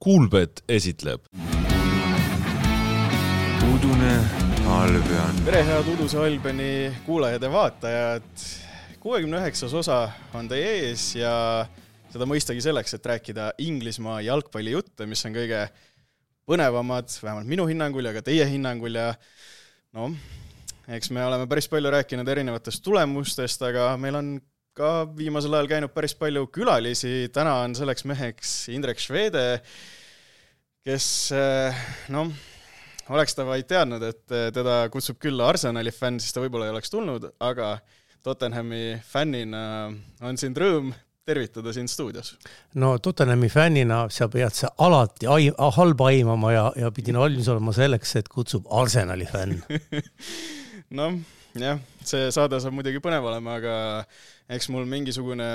Kuulbet esitleb. Udune Albion. Tere, head Uduse Albani kuulajad ja vaatajad. 69. osa on teie ees ja seda mõistagi selleks, et rääkida Inglismaa jalgpallijutte, mis on kõige põnevamad, vähemalt minu hinnangul ja ka teie hinnangul. Ja eks me oleme päris palju rääkinud erinevatest tulemustest, aga meil on ka viimasel ajal käinud päris palju külalisi. Täna on selleks meheks Indrek Švede, kes, oleks ta vaid teadnud, et teda kutsub külla Arsenali fänn, siis ta võib-olla ei oleks tulnud, aga Tottenhami fännina on sind rõõm tervitada siin stuudios. No Tottenhami fännina sa pead see alati halba aimama ja pidin valmis olema selleks, et kutsub Arsenali fänn. Jah, see saade saab muidugi põnev olema, aga eks mul mingisugune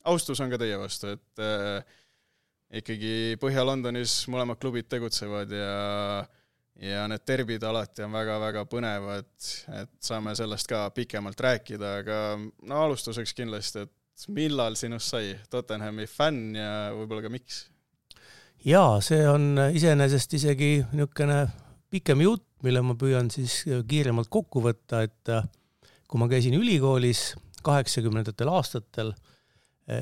austus on ka teie vastu, et ikkagi Põhja-Londonis mõlemad klubid tegutsevad ja need derbid alati on väga-väga põnevad, et saame sellest ka pikemalt rääkida, aga alustuseks kindlasti, et millal sinust sai Tottenhami fänn ja võib-olla ka miks? Jaa, see on iseenesest isegi niisugune pikem jutt, mille ma püüan siis kiiremalt kokku võtta, et kui ma käisin ülikoolis 80. aastatel,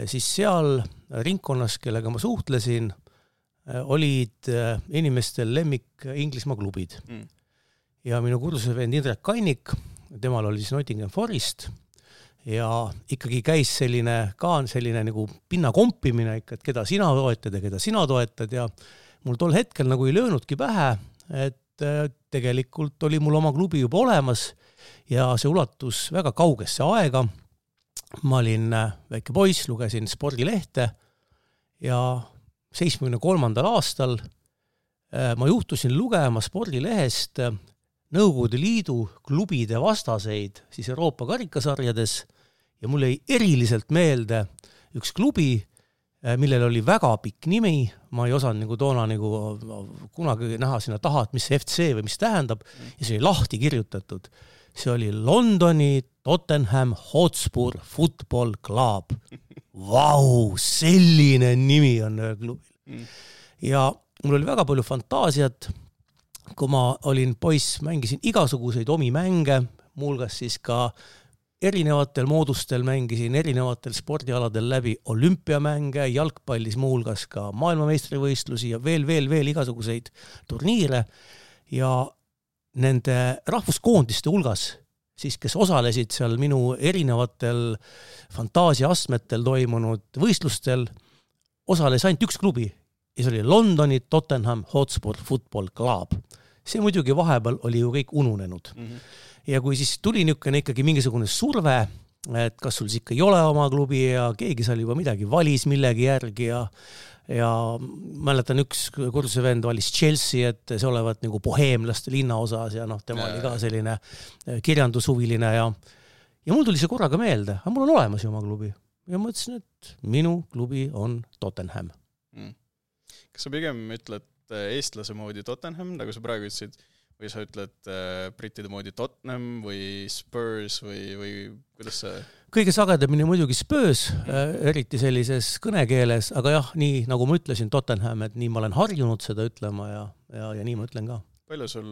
siis seal ringkonnas, kellega ma suhtlesin, olid inimestel lemmik Inglismaa klubid. Ja minu kursusevend Indrek Kannik, temal oli siis Nottingham Forest ja ikkagi käis selline nagu pinna kompimine, et keda sina toetad ja keda sina toetad ja mul tol hetkel nagu ei löönudki pähe, et tegelikult oli mul oma klubi juba olemas ja see ulatus väga kaugesse aega. Ma olin väike poiss, lugesin spordilehte ja 73. aastal ma juhtusin lugema spordilehest Nõukogude Liidu klubide vastaseid siis Euroopa karikasarjades ja mul jäi eriliselt meelde üks klubi, millel oli väga pikk nimi, ma ei osanud toona kunagi näha sinna taha, et mis see FC või mis tähendab, ja see oli lahti kirjutatud. See oli Londoni Tottenham Hotspur Football Club. Vau, selline nimi on klubil. Ja mul oli väga palju fantaasiat, kui ma olin poiss, mängisin igasuguseid omi mänge, muuhulgas siis ka erinevatel moodustel mängisin erinevatel spordialadel läbi olümpiamänge, jalgpallis muuhulgas ka maailmameistrivõistlusi ja veel igasuguseid turniire ja nende rahvuskoondiste hulgas, siis kes osalesid seal minu erinevatel fantaasiaastmetel toimunud võistlustel, osales ainult üks klubi ja see oli Londoni Tottenham Hotspur Football Club. See muidugi vahepeal oli ju kõik ununenud. Ja kui siis tuli niisugune ikkagi mingisugune surve, et kas sul ikka ei ole oma klubi ja keegi seal juba midagi valis millegi järgi ja mäletan üks kursusevend valis Chelsea, et see olevat nagu boheemlaste linnaosas ja tema oli ka selline kirjandushuviline ja mul tuli see korraga meelde, aga mul on olemas ju oma klubi ja mõtlesin, et minu klubi on Tottenham. Kas sa pigem ütled eestlase moodi Tottenham, nagu sa praegu ütlesid, või sa ütled brittide moodi Tottenham või Spurs või kuidas see? Kõige sagedamini muidugi Spurs, eriti sellises kõnekeeles, aga jah, nii nagu ma ütlesin Tottenham, et nii ma olen harjunud seda ütlema ja nii ma ütlen ka. Palju sul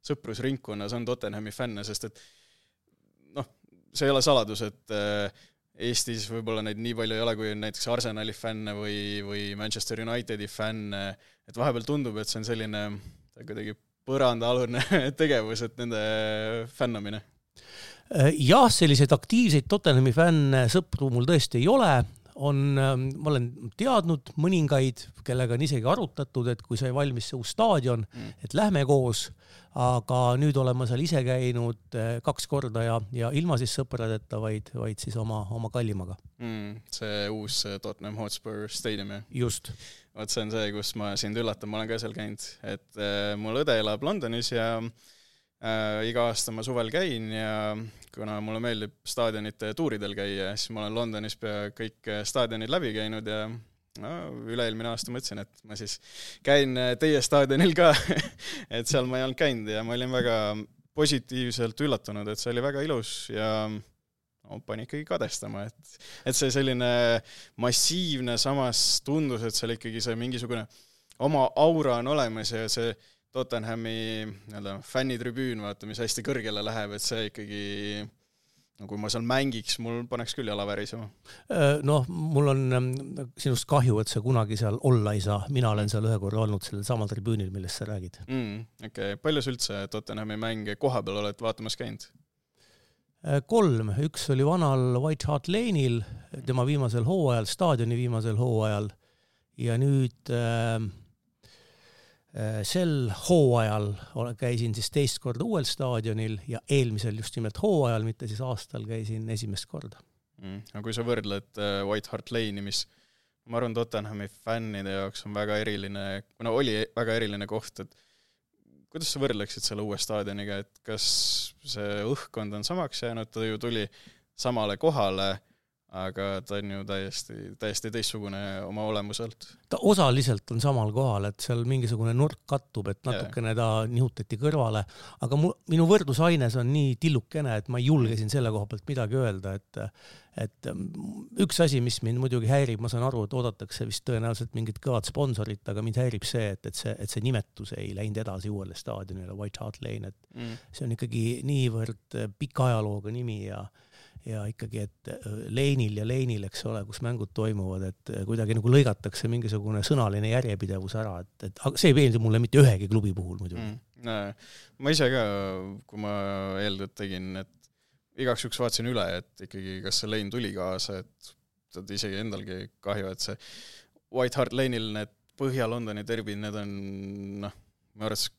sõprusringkonnas on Tottenhami fänne, sest et see ei ole saladus, et Eestis võib-olla neid nii palju ei ole, kui näiteks Arsenali fänne või Manchester Unitedi fänne, et vahepeal tundub, et see on selline kuidagi põrandaalune tegevus, et nende fännamine. Jah, selliseid aktiivseid Tottenhami fänne sõpru mul tõesti ei ole. Ma olen teadnud mõningaid, kellega on isegi arutatud, et kui sai valmis see uus staadion, et lähme koos, aga nüüd olen ma seal ise käinud 2 korda ja ilma siis sõpradeta, vaid siis oma kallimaga. See uus Tottenham Hotspur Stadium, jah? Just. Vaat see on see, kus ma sind üllatan, ma olen ka seal käinud, et mul õde elab Londonis ja iga aasta ma suvel käin ja kuna mulle meeldib staadionite tuuridel käia, siis ma olen Londonis pea kõik staadionid läbi käinud ja üle-eelmine aasta mõtlesin, et ma siis käin teie staadionil ka, et seal ma ei olnud käinud ja ma olin väga positiivselt üllatunud, et see oli väga ilus ja pani ikkagi kadestama, et see selline massiivne, samas tundus, et seal ikkagi see mingisugune oma aura on olemas ja see Tottenhami fännitribüün, vaata, mis hästi kõrgele läheb, et see ikkagi, no kui ma seal mängiks, mul paneks küll jala värisema. Noh, mul on sinust kahju, et sa kunagi seal olla ei saa. Mina olen seal ühe korra olnud sellel samal tribüünil, millest sa räägid. Okay. Palju sa üldse Tottenhami mänge kohapeal oled vaatamas käinud? 3. Üks oli vanal White Hart Lane'il, tema viimasel hooajal, staadioni viimasel hooajal ja nüüd sel hooajal käisin siis teist korda uuel staadionil ja eelmisel just nimelt hooajal, mitte siis aastal käisin esimest korda. Aga kui sa võrdled White Hart Lane'i, mis ma arvan Tottenhami fännide jaoks on väga eriline, kuna oli väga eriline koht, et kuidas sa võrdleksid selle uue staadioniga, et kas see õhkkond on samaks jäänud, ta ju tuli samale kohale, aga ta on ju täiesti teistsugune oma olemuselt. Ta osaliselt on samal kohal, et seal mingisugune nurk kattub, et natukene ta nihutati kõrvale, aga minu võrdlusaines on nii tillukene, et ma ei julgesin selle koha pealt midagi öelda, et üks asi, mis mind muidugi häirib, ma saan aru, et oodatakse vist tõenäoliselt mingit kõvad sponsorit, aga mind häirib see, et see nimetus ei läinud edasi uuele staadionile, White Hart Lane, et see on ikkagi niivõrd pika ajalooga nimi ja ikkagi, et Lane'il, eks ole, kus mängud toimuvad, et kuidagi nagu lõigatakse mingisugune sõnaline järjepidevus ära, et see ei meeldi mulle mitte ühegi klubi puhul muidugi. Ma ise ka, kui ma eeldud tegin, et igaks juks vaatasin üle, et ikkagi kas see Lane tuli kaasa, et isegi endalgi kahju, et see White Hart Lane'il need Põhja-Londoni derbid, need on, ma arvates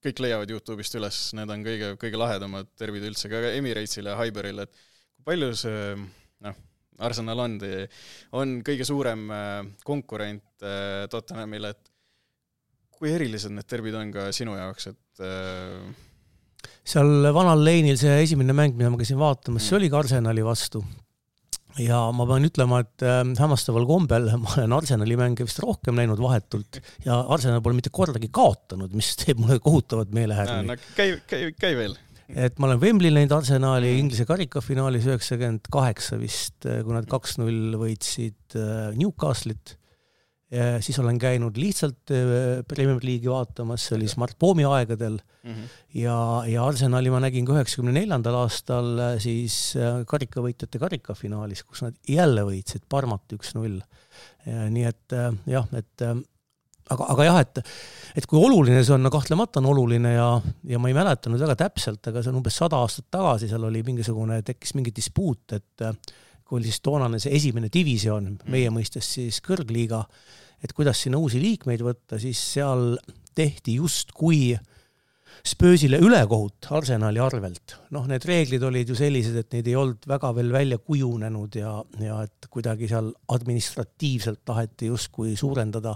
kõik leiavad YouTube'ist üles, need on kõige lahedamad derbid üldse, ka Emiratesile ja Highbury'le, et palju see Arsenal on kõige suurem konkurent Tottenhamile, et kui erilised need derbid on ka sinu jaoks, et seal vanal Lane'il see esimene mäng, mida ma käisin vaatamas, see oli ka Arsenali vastu ja ma pean ütlema, et hämmastaval kombel ma olen Arsenali mänge vist rohkem näinud vahetult ja Arsenal pole mitte kordagi kaotanud, mis teeb mulle kohutavat meelehärmi. Käi veel. Et ma olen Wembley näinud Arsenali Inglise karikafinaalis 98 vist, kui nad 2-0 võitsid Newcastle'it. Siis olen käinud lihtsalt Premier League'i vaatamas, see oli Smart Bomi aegadel ja Arsenali ma nägin 94. aastal siis karikavõitjate karikafinaalis, kus nad jälle võitsid Parmat 1-0. Nii et jah, aga jah, et kui oluline see on, kahtlemata on oluline ja ma ei mäletanud väga täpselt, aga see on umbes 100 aastat tagasi, seal oli tekkis mingi dispuut, et kui oli siis toonane see esimene divisioon, meie mõistes siis kõrgliiga, et kuidas sinna uusi liikmeid võtta, siis seal tehti just kui Spursile ülekohut Arsenali arvelt. Need reeglid olid ju sellised, et neid ei olnud väga veel välja kujunenud ja et kuidagi seal administratiivselt taheti just kui suurendada.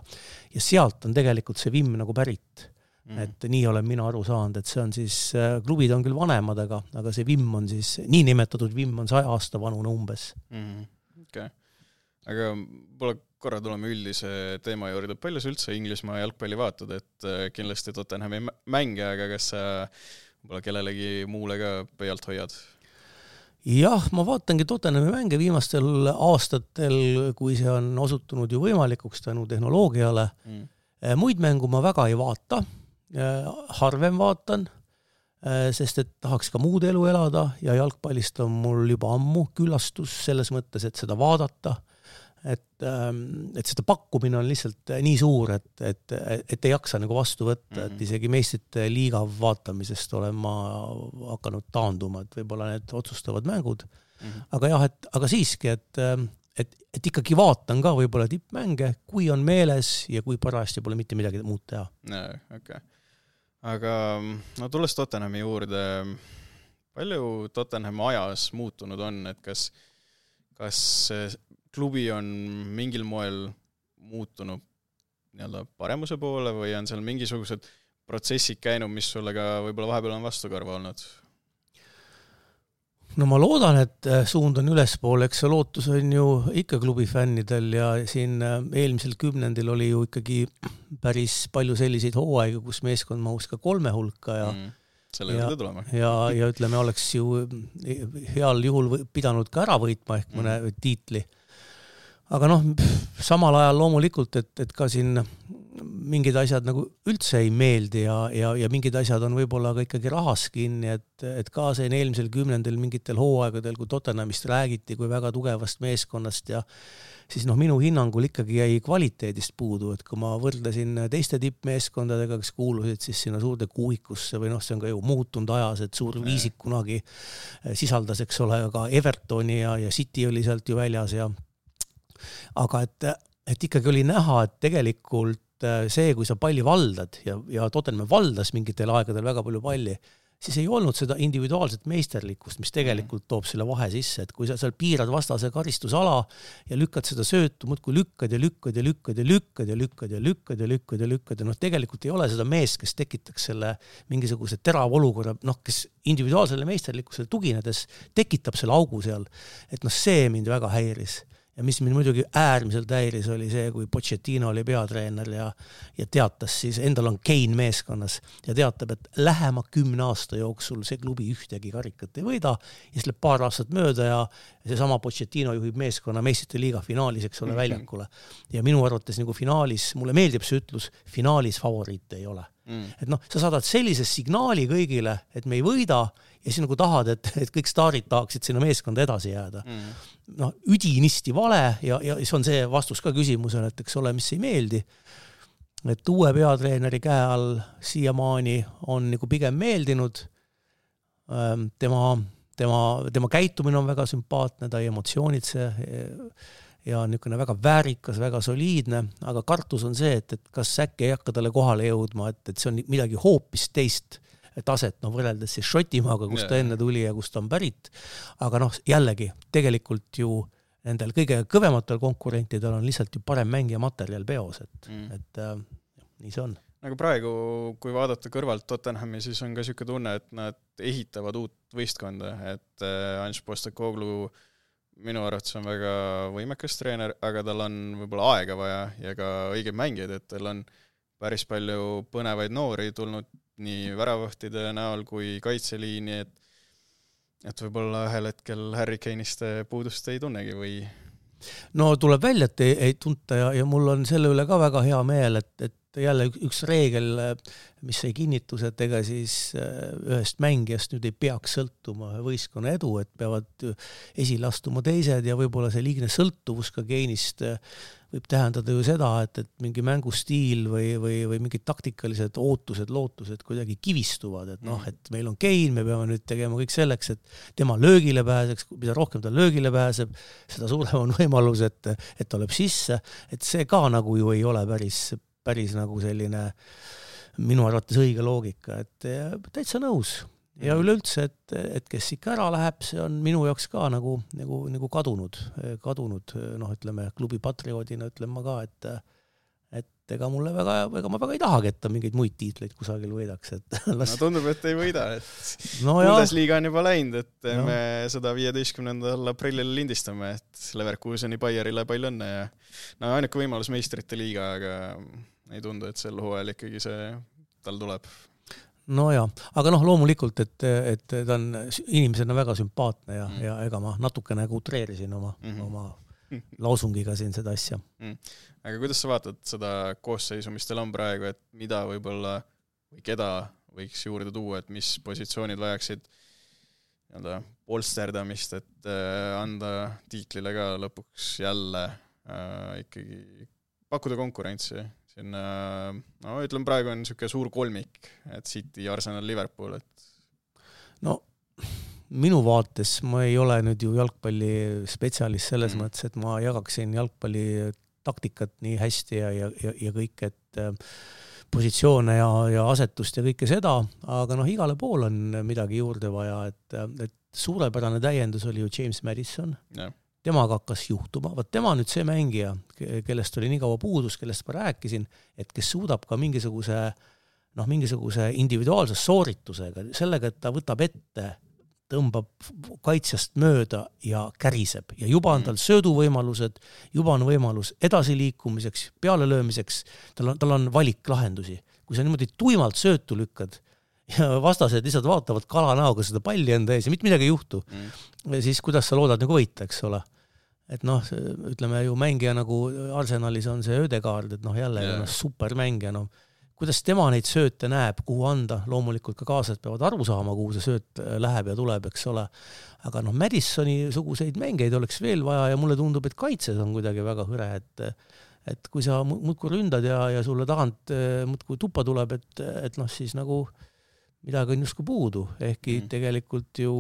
Ja sealt on tegelikult see vimm nagu pärit. Et nii olen mina aru saanud, et see on siis, klubid on küll vanemad, aga see vimm on siis, nii nimetatud vimm on 100 aasta vanune umbes. Okay. Aga pole korra tuleme üldise teema juurde, palju sa üldse Inglismaa jalgpalli vaatad, et kindlasti Tottenhami mänge, aga kas sa pole kellelegi muule ka pöialt hoiad? Jah, ma vaatangi Tottenhami mänge viimastel aastatel, kui see on osutunud ju võimalikuks tänu tehnoloogiale. Muid mängu ma väga ei vaata, harvem vaatan, sest et tahaks ka muud elu elada ja jalgpallist on mul juba ammu küllastus selles mõttes, et seda vaadata. Et seda pakkumine on lihtsalt nii suur, et ei jaksa nagu vastu võtta, et isegi meistrite liiga vaatamisest olen ma hakanud taanduma, et võib-olla need otsustavad mängud. Aga jah, aga siiski, et ikkagi vaatan ka võib-olla tippmänge, kui on meeles ja kui parajasti pole mitte midagi muud teha. Okay. Aga tulles Tottenhami juurde, palju Tottenham ajas muutunud on, et kas klubi on mingil moel muutunud paremuse poole või on seal mingisugused protsessid käinud, mis sulle ka võib-olla vahepeal on vastukarva olnud? No ma loodan, et suund on ülespoole, eks see lootus on ju ikka klubi fännidel ja siin eelmisel 10. oli ju ikkagi päris palju selliseid hooaega, kus meeskond mahus ka 3 hulka selle juurde tulema. Ja ütleme, oleks ju heal juhul pidanud ka ära võitma ehk mõne tiitli. Aga samal ajal loomulikult, et ka siin mingid asjad nagu üldse ei meeldi ja mingid asjad on võib-olla ka ikkagi rahas kinni, et ka see eelmisel 10. mingitel hooaegadel, kui Tottenhamist räägiti kui väga tugevast meeskonnast ja siis minu hinnangul ikkagi jäi kvaliteedist puudu, et kui ma võrdlesin teiste tippmeeskondadega, kes kuulusid siis sinna suurde kuuikusse või see on ka ju muutunud ajas, et suur viisik kunagi sisaldas, eks ole, ka Evertoni ja City oli sealt ju väljas aga et ikkagi oli näha, et tegelikult see, kui sa palli valdad ja Tottenham valdas mingitel aegadel väga palju palli, siis ei olnud seda individuaalset meisterlikkust, mis tegelikult toob selle vahe sisse, et kui sa seal piirad vastase karistusala ja lükkad seda söötu, muudkui lükkad ja lükkad ja lükkad ja lükkad ja lükkad ja lükkad ja lükkad ja lükkad ja tegelikult ei ole seda meest, kes tekitaks selle mingisuguse terava olukorra, kes individuaalsele meisterlikkusele tuginedes tekitab selle augu seal, et see mind väga häiris. Ja mis mind muidugi äärmiselt häiris oli see, kui Pochettino oli peatreener ja teatas siis, endal on Kane meeskonnas ja teatab, et lähema 10 aasta jooksul see klubi ühtegi karikat ei võida ja siis läheb paar aastat mööda ja seesama Pochettino juhib meeskonna meistrite liiga finaalis, eks ole, väljakule. Ja minu arvates nagu finaalis, mulle meeldib see ütlus, finaalis favoriite ei ole. Et sa saadad sellise signaali kõigile, et me ei võida ja siis nagu tahad, et kõik staarid tahaksid sinna meeskonda edasi jääda. Üdinisti vale ja see on see vastus ka küsimusele, et eks ole, mis ei meeldi. Et uue peatreeneri käe all siiamaani on nagu pigem meeldinud. Tema käitumine on väga sümpaatne, ta ei emotsioonitse ja niisugune väga väärikas, väga soliidne, aga kartus on see, et kas äkki ei hakka talle kohale jõudma, et see on midagi hoopis teist taset, võrreldes siis Šotimaaga, kus ta enne tuli ja kus ta on pärit. Aga jällegi, tegelikult ju nendel kõige kõvematel konkurentidel on lihtsalt ju parem mängija materjal peos, et nii see on. Nagu praegu, kui vaadata kõrvalt Tottenhami, siis on ka siuke tunne, et nad ehitavad uut võistkonda, et Ange Postecoglou minu arvates on väga võimekas treener, aga tal on võib-olla aega vaja ja ka õigeid mängijaid, et tal on päris palju põnevaid noori tulnud nii väravõhtide näol kui kaitseliini, et võib-olla ühel hetkel Harry Kane'ist puudust ei tunnegi või? No tuleb välja, et ei tunta ja mul on selle üle ka väga hea meel, et jälle üks reegel, mis sai kinnitus, et ega siis ühest mängijast nüüd ei peaks sõltuma võistkonna edu, et peavad esile astuma teised ja võib-olla see liigne sõltuvus ka Kane'ist võib tähendada ju seda, et mingi mängustiil või mingid taktikalised ootused, lootused kuidagi kivistuvad, et meil on Kane, me peame nüüd tegema kõik selleks, et tema löögile pääseks, mida rohkem ta löögile pääseb, seda suurem on võimalus, et tuleb sisse, et see ka nagu ju ei ole päris nagu selline minu arvates õige loogika, et täitsa nõus. Ja üleüldse, et kes ikka ära läheb, see on minu jaoks ka nagu kadunud, ütleme, klubi patrioodina ütlen ma ka, et ega mulle ega ma väga ei tahagi, et ta mingeid muid tiitleid kusagil võidaks. Tundub, et ei võida, et Bundesliga on juba läinud, et me seda 15. aprillil lindistame, et Leverkuseni Bayerile palju õnne ja ainuke võimalus meistrite liiga, aga ei tundu, et sel hooajal ikkagi see tal tuleb. Aga loomulikult, et ta on inimesena väga sümpaatne ja ega ma natukene utreerisin oma lausungiga siin seda asja. Aga kuidas sa vaatad seda koosseisu, mis teil on praegu, et mida võib-olla või keda võiks juurde tuua, et mis positsioonid vajaksid polsterdamist, et anda tiitlile ka lõpuks jälle ikkagi pakkuda konkurentsi? Ütlen, praegu on niisugune suur kolmik, et City, Arsenal, Liverpool. Minu vaates ma ei ole nüüd ju jalgpalli spetsialist selles mõttes, et ma jagaksin jalgpalli taktikat nii hästi ja kõik, et positsioone ja asetust ja kõike seda, aga igale pool on midagi juurde vaja, et suurepärane täiendus oli ju James Madison. Temaga hakkas juhtuma. Tema nüüd see mängija, kellest oli nii kaua puudus, kellest ma rääkisin, et kes suudab ka mingisuguse individuaalse sooritusega, sellega, et ta võtab ette, tõmbab kaitsjast mööda ja käriseb. Ja juba on tal sööduvõimalused, juba on võimalus edasiliikumiseks, pealelöömiseks, tal on valiklahendusi. Kui sa niimoodi tuimalt söötu lükkad ja vastased lihtsalt vaatavad kalanäoga seda palli enda ees ja mitte midagi ei juhtu. Ja siis kuidas sa loodad nagu võita, eks ole. Et noh, ütleme ju mängija nagu Arsenalis on see Ödegaard, et noh jälle supermängija, noh kuidas tema neid sööte näeb, kuhu anda, loomulikult ka kaaslased peavad aru saama, kuhu see sööt läheb ja tuleb, eks ole. Aga noh, Madisoni suguseid mängeid oleks veel vaja ja mulle tundub, et kaitses on kuidagi väga hõre, et kui sa muudkui ründad ja sulle tagant muudkui tuppa tuleb, et noh siis nagu midagi on justkui puudu, ehkki tegelikult ju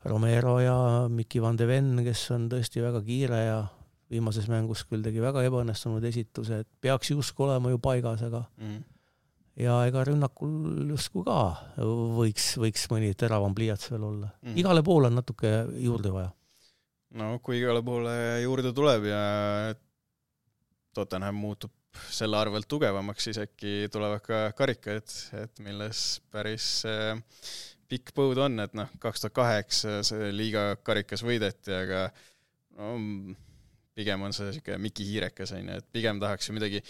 Romero ja Miki van de Ven, kes on tõesti väga kiire ja viimases mängus küll tegi väga ebaõnnestunud esituse, et peaks justkui olema ju paigas, aga ja ega rünnakul justkui ka võiks mõni teravam pliiats veel olla. Igale poole on natuke juurde vaja. No kui igale poole juurde tuleb ja Tottenham muutub selle arvelt tugevamaks, siis äkki tulevad ka karikad, et milles päris pikk põud on, et noh, 2008 see liiga karikas võideti, aga no, pigem on see siuke Miki hiirekas, et pigem tahaks ju midagi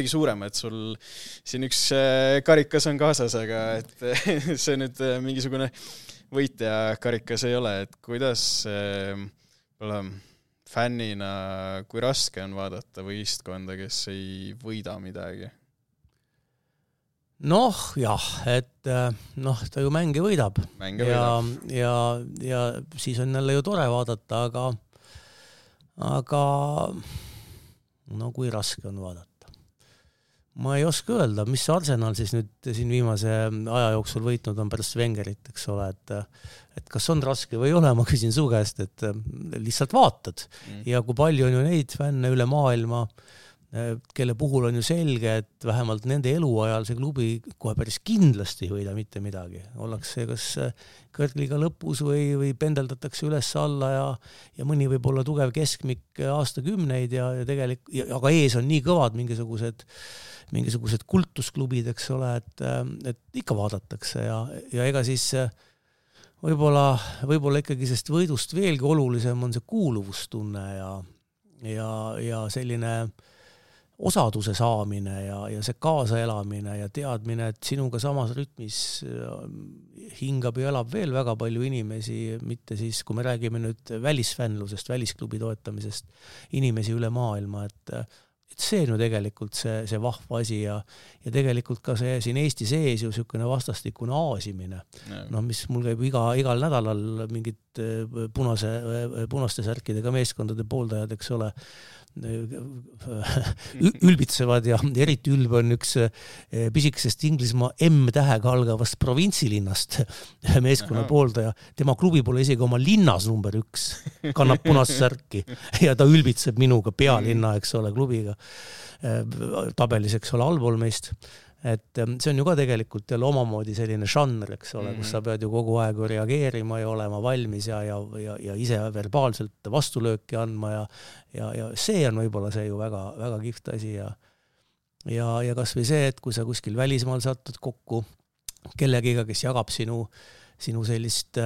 suurema, et sul siin üks karikas on kaasas, aga et see nüüd mingisugune võitja karikas ei ole, et kuidas fännina, kui raske on vaadata võistkonda, kes ei võida midagi? Noh, jah, et noh, ta ju mänge võidab. Ja siis on jälle ju tore vaadata, aga no kui raske on vaadata. Ma ei oska öelda, mis Arsenal siis nüüd siin viimase aja jooksul võitnud on pärast Wengerit, eks ole, et kas on raske või ei ole, ma küsin su käest, et lihtsalt vaatad. Ja kui palju on ju neid fänne üle maailma, kelle puhul on ju selge, et vähemalt nende eluajal see klubi kohe päris kindlasti ei võida mitte midagi. Ollakse kas kõrgliga lõpus või pendeldatakse üles alla ja mõni võib olla tugev keskmik aastakümneid ja aga ees on nii kõvad mingisugused kultusklubid, eks ole, et ikka vaadatakse ja ega siis võib-olla ikkagi sest võidust veelgi olulisem on see kuuluvustunne ja selline osaduse saamine ja see kaasaelamine ja teadmine, et sinuga samas rütmis hingab ja elab veel väga palju inimesi, mitte siis, kui me räägime nüüd välisfänlusest, välisklubi toetamisest, inimesi üle maailma, et see on ju tegelikult see vahva asi ja tegelikult ka see siin Eesti sees ju niisugune vastastikune aasimine. No, mis mul käib igal nädalal mingid punaste särkidega meeskondade pooldajad, eks ole, ülbitsevad ja eriti ülb on üks pisikesest Inglismaa M-tähega algavast provintsilinnast meeskonna pooldaja. Tema klubi pole isegi oma linnas number 1, kannab punast särki ja ta ülbitseb minuga pealinna, eks ole, klubiga tabelis, eks ole, allpool meist. Et see on ju ka tegelikult jälle omamoodi selline žanr, eks ole, kus sa pead ju kogu aeg reageerima ja olema valmis ja ise verbaalselt vastulööki andma ja see on võib-olla see ju väga, väga kihvt asi ja kas või see, et kui sa kuskil välismaal satud kokku kellegiga, kes jagab sinu sellist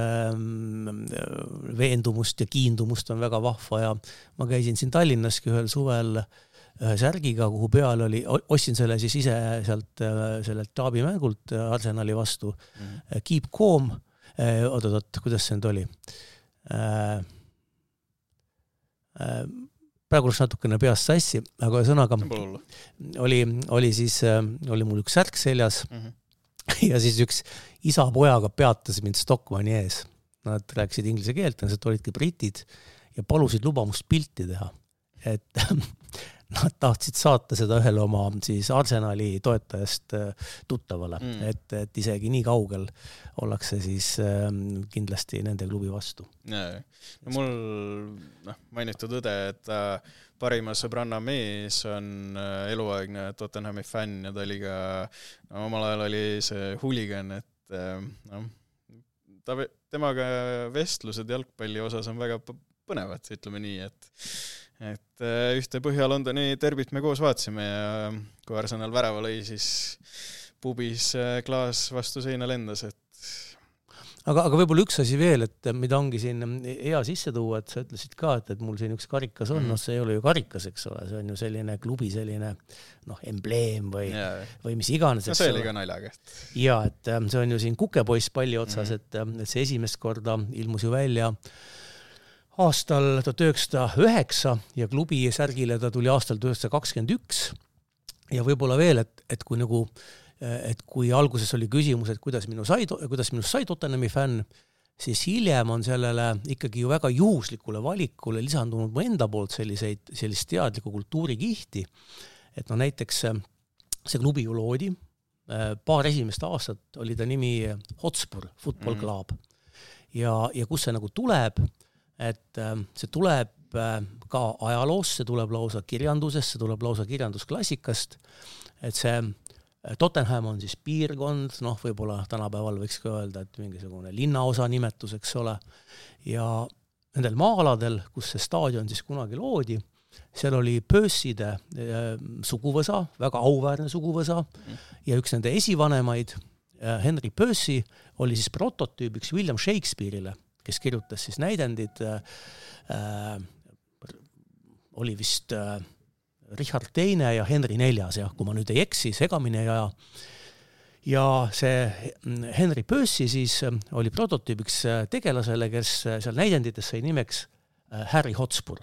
veendumust ja kiindumust on väga vahva ja ma käisin siin Tallinnaski ühel suvel särgiga, kuhu peal oli, ostsin selle siis ise sellelt taabimängult Arsenali vastu. Keep calm, kuidas see nüüd oli? Praegu oleks natukene peast sassi, aga sõnaga oli mul üks särk seljas ja siis üks isa pojaga peatas mind Stockmanni ees. Nad rääkisid inglise keelt, nad olidki britid ja palusid lubamust pilti teha. Et nad tahtsid saata seda ühele oma siis Arsenali toetajast tuttavale, et isegi nii kaugel ollakse siis kindlasti nende klubi vastu. No mul mainitud õde, et parima sõbranna mees on eluaegne Tottenhami fänn ja ta oli ka, omal ajal oli see huligan, et temaga vestlused jalgpalli osas on väga põnevad, ütleme nii, et ühte Põhja-Londoni derbit me koos vaatsime ja kui Arsenal värava lõi, siis pubis klaas vastu seina lendas, et aga võib-olla üks asi veel, et mida ongi siin hea sisse tuua, et sa ütlesid ka, et mul siin üks karikas on, see ei ole ju karikas, eks ole, see on ju selline klubi selline embleem või mis iganes. See oli ka naljaga. Ja, et see on ju siin kukepoiss palli otsas, et see esimest korda ilmus ju välja aastal 1909 ja klubi särgile ta tuli aastal 1921 ja võib-olla veel, et kui alguses oli küsimus, et kuidas minust sai Tottenhami fänn, siis hiljem on sellele ikkagi ju väga juhuslikule valikule lisandunud mu enda poolt sellist teadlikku kultuurikihti, et näiteks see klubi ju loodi, paar esimest aastat oli ta nimi Hotspur Football Club ja kus see nagu tuleb, et see tuleb ka ajaloost, see tuleb lausa kirjandusest, see tuleb lausa kirjandusklassikast, et see Tottenham on siis piirkond, võib-olla tänapäeval võiks ka öelda, et mingisugune linnaosa nimetus, eks ole, ja nendel maa-aladel, kus see staadion siis kunagi loodi, seal oli Percy'de suguvõsa, väga auväärne suguvõsa, ja üks nende esivanemaid, Henry Percy, oli siis prototüübiks William Shakespeare'ile, kes kirjutas siis näidendid, oli vist Richard II ja Henry IV, kui ma nüüd ei eksi, segamini ei aja. Ja see Henry Percy siis oli prototüübiks tegelasele, kes seal näidendites sai nimeks Harry Hotspur.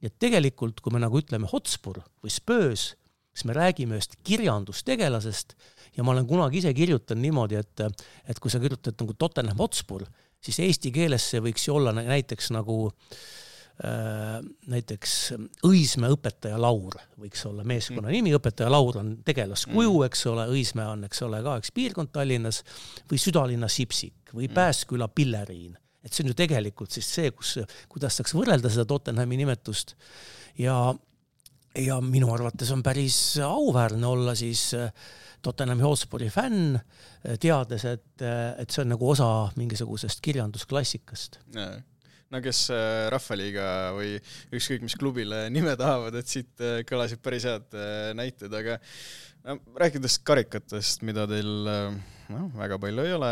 Ja tegelikult, kui me nagu ütleme Hotspur või Spurs, siis me räägime ühest kirjandustegelasest ja ma olen kunagi ise kirjutanud niimoodi, et kui sa kirjutad nagu Tottenham Hotspur, siis eesti keeles see võiks ju olla näiteks nagu näiteks Õismäe õpetaja Laur võiks olla meeskonna nimi, õpetaja Laur on tegelaskuju, eks ole, Õismäe on, eks ole, ka üks piirkond Tallinnas või Südalinna Sipsik või Pääsküla Pilleriin. Et see on ju tegelikult siis see, kuidas saaks võrrelda seda Tottenhami nimetust ja minu arvates on päris auväärne olla siis Tottenhami Hotspuri fänn, teades, et see on nagu osa mingisugusest kirjandusklassikast. Kes Rahvaliiga või ükskõik mis klubile nime tahavad, et siit kõlasid päris head näited, aga rääkides karikatest, mida teil väga palju ei ole,